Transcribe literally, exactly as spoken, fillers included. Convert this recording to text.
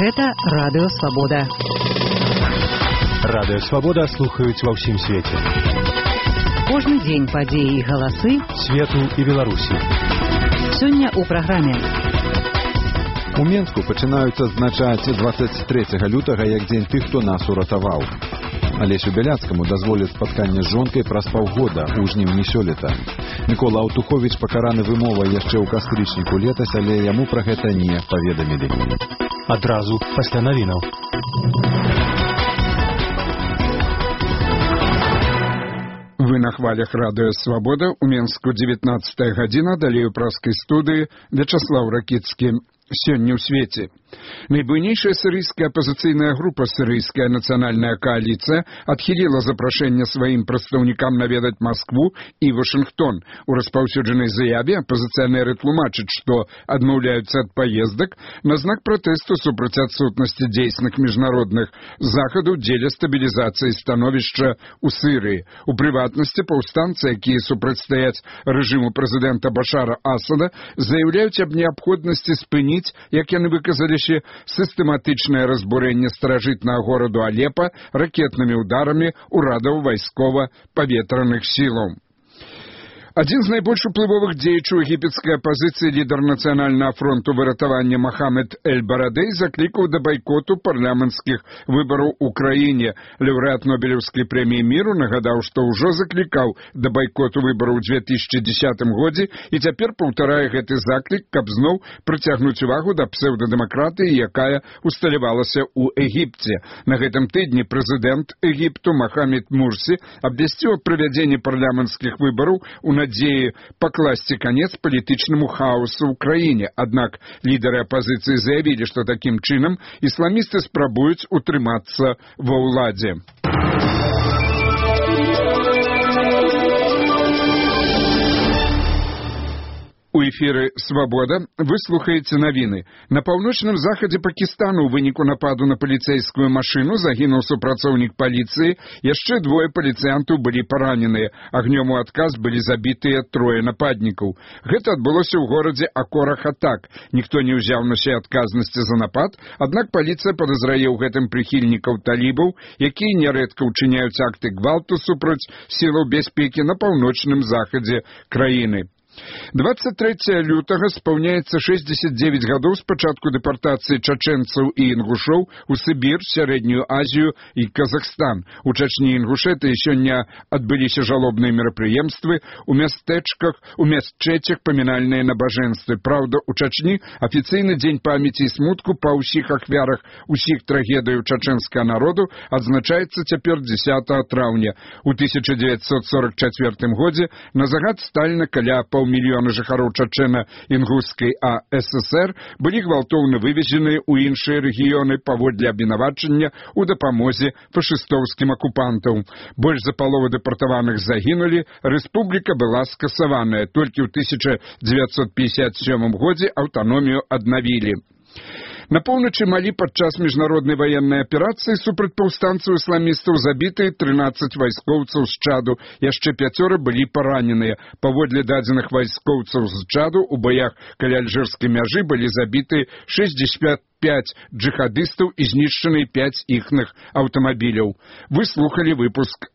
Гэта Радыё Свабода. Радыё Свабода слухаюць ва ўсім свеце. Кожны дзень падзеі і галасы свету і Беларусі. Сёння ў праграме. У Менску пачынаюць адзначаць дваццаць трэцяга лютага як дзень тых, хто нас уратаваў. Алесю Бяляцкаму дазволяць спатканне з жонкай праз паўгода ў жніўні сёлета. Мікола Аўтуховіч пакараны вымовай яшчэ ў кастрычніку летась, але яму пра гэта не паведамілі. Адразу пасля навінаў. Вы на хвалях Радыё Свабода. У Менску дзевятнаццатая гадзіна, далей у праскай студыі Вячаслаў Ракіцкі. Сёння ў свеце. Найбуйнейшая сірыйская апазіцыйная група «Сірыйская нацыянальная коаліцыя» адхіліла запрашэнне сваім прадстаўнікам наведаць Маскву і Вашынгтон. У распаўсюджанай заяве апазіцыянеры тлумачаць, што адмаўляюцца ад паездак на знак пратэсту супраць адсутнасці дзейсных міжнародных захадаў дзеля стабілізацыі становішча ў Сірыі. У прыватнасці паўстанцы, якія супрацьстаяць рэжыму прэзідэнта Башара Асада, заяўляюць аб неабходнасці спыніць, як яны выказаліся, сістэматычнае разбурэнне старажытнага гораду Алепа ракетнымі ударамі ўрадаў вайскова-паветраных сілаў. Адзін з найбольш уплывовых дзеячаў егіпецкай апазіцыі, лідар нацыянальнага фронту выратавання Мохаммед Эль-Барадэй заклікаў да байкоту парламенцкіх выбараў у краіне. Лаўрэат Нобелеўскай прэміі міру нагадаў, што ўжо заклікаў да байкоту выбараў у две тысячы дзесятым годзе і цяпер паўтарае гэты заклік, каб зноў прыцягнуць увагу да псеўдадэмакратыі, якая усталявалася ў Егіпце. На гэтым тыдні прэзідэнт Егіпту Мохаммед Мурсі абвясціў аб правядзенні парламенцкіх выбараў у надзеі пакласці канец палітычнаму хаосу ў краіне. Аднак лідары апазіцыі заявілі, што такім чынам ісламісты спрабуюць утрымацца ва ўладзе. У эфіры «Свабода» вы слухаеце навіны. На паўночным захадзе Пакістану ў выніку нападу на паліцэйскую машыну загінуў супрацоўнік паліцыі, яшчэ двое паліцыянтаў былі параненыя. Агнём у адказ былі забітыя трое нападнікаў. Гэта адбылося ў горадзе Акора-Хатак. Ніхто не ўзяў на сябе адказнасці за напад, аднак паліцыя падазрае ў гэтым прыхільнікаў талібаў, якія нярэдка ўчыняюць акты гвалту супраць сілаў бяспекі на паўночным захадзе краіны. дваццаць трэцяга лютага спаўняецца шэсцьдзесят дзевяць гадоў з пачатку дэпартацыі чачэнцаў і інгушоў у Сібір, Сярэднюю Азію і Казахстан. У Чачні і Інгушэтыі сёння адбыліся жалобныя мерапрыемствы, у мястэчках, у мясчэцях памінальныя набажэнствы. Праўда, у Чачні афіцыйны дзень памяці і смутку па ўсіх ахвярах усіх трагедыяў чачэнскага народу адзначаецца цяпер дзесятага траўня. У тысяча дзевяцьсот сорак чацвёртым годзе на загад Сталіна каля паўмільёна жыхароў Чачэна-Інгушскай АССР былі гвалтоўна вывезеныя ў іншыя рэгіёны паводле абвінавачання ў дапамозе фашыстоўскім акупантам. Больш за палову дэпартаваных загінулі, рэспубліка была скасаваная. Толькі ў тысяча дзевяцьсот пятьдесят сёмым годзе аўтаномію аднавілі. На поўначы Малі падчас міжнароднай ваеннай аперацыі супраць паўстанцаў ісламістаў забітыя трынаццаць вайскоўцаў з Чаду, яшчэ пяцёра былі параненыя. Паводле дадзеных вайскоўцаў з Чаду у баях каля альжырскай мяжы былі забітыя шэсцьдзесят пяць джихадыстаў і знішчаныя пяць іхных аўтамабіляў. Вы слухалі выпуск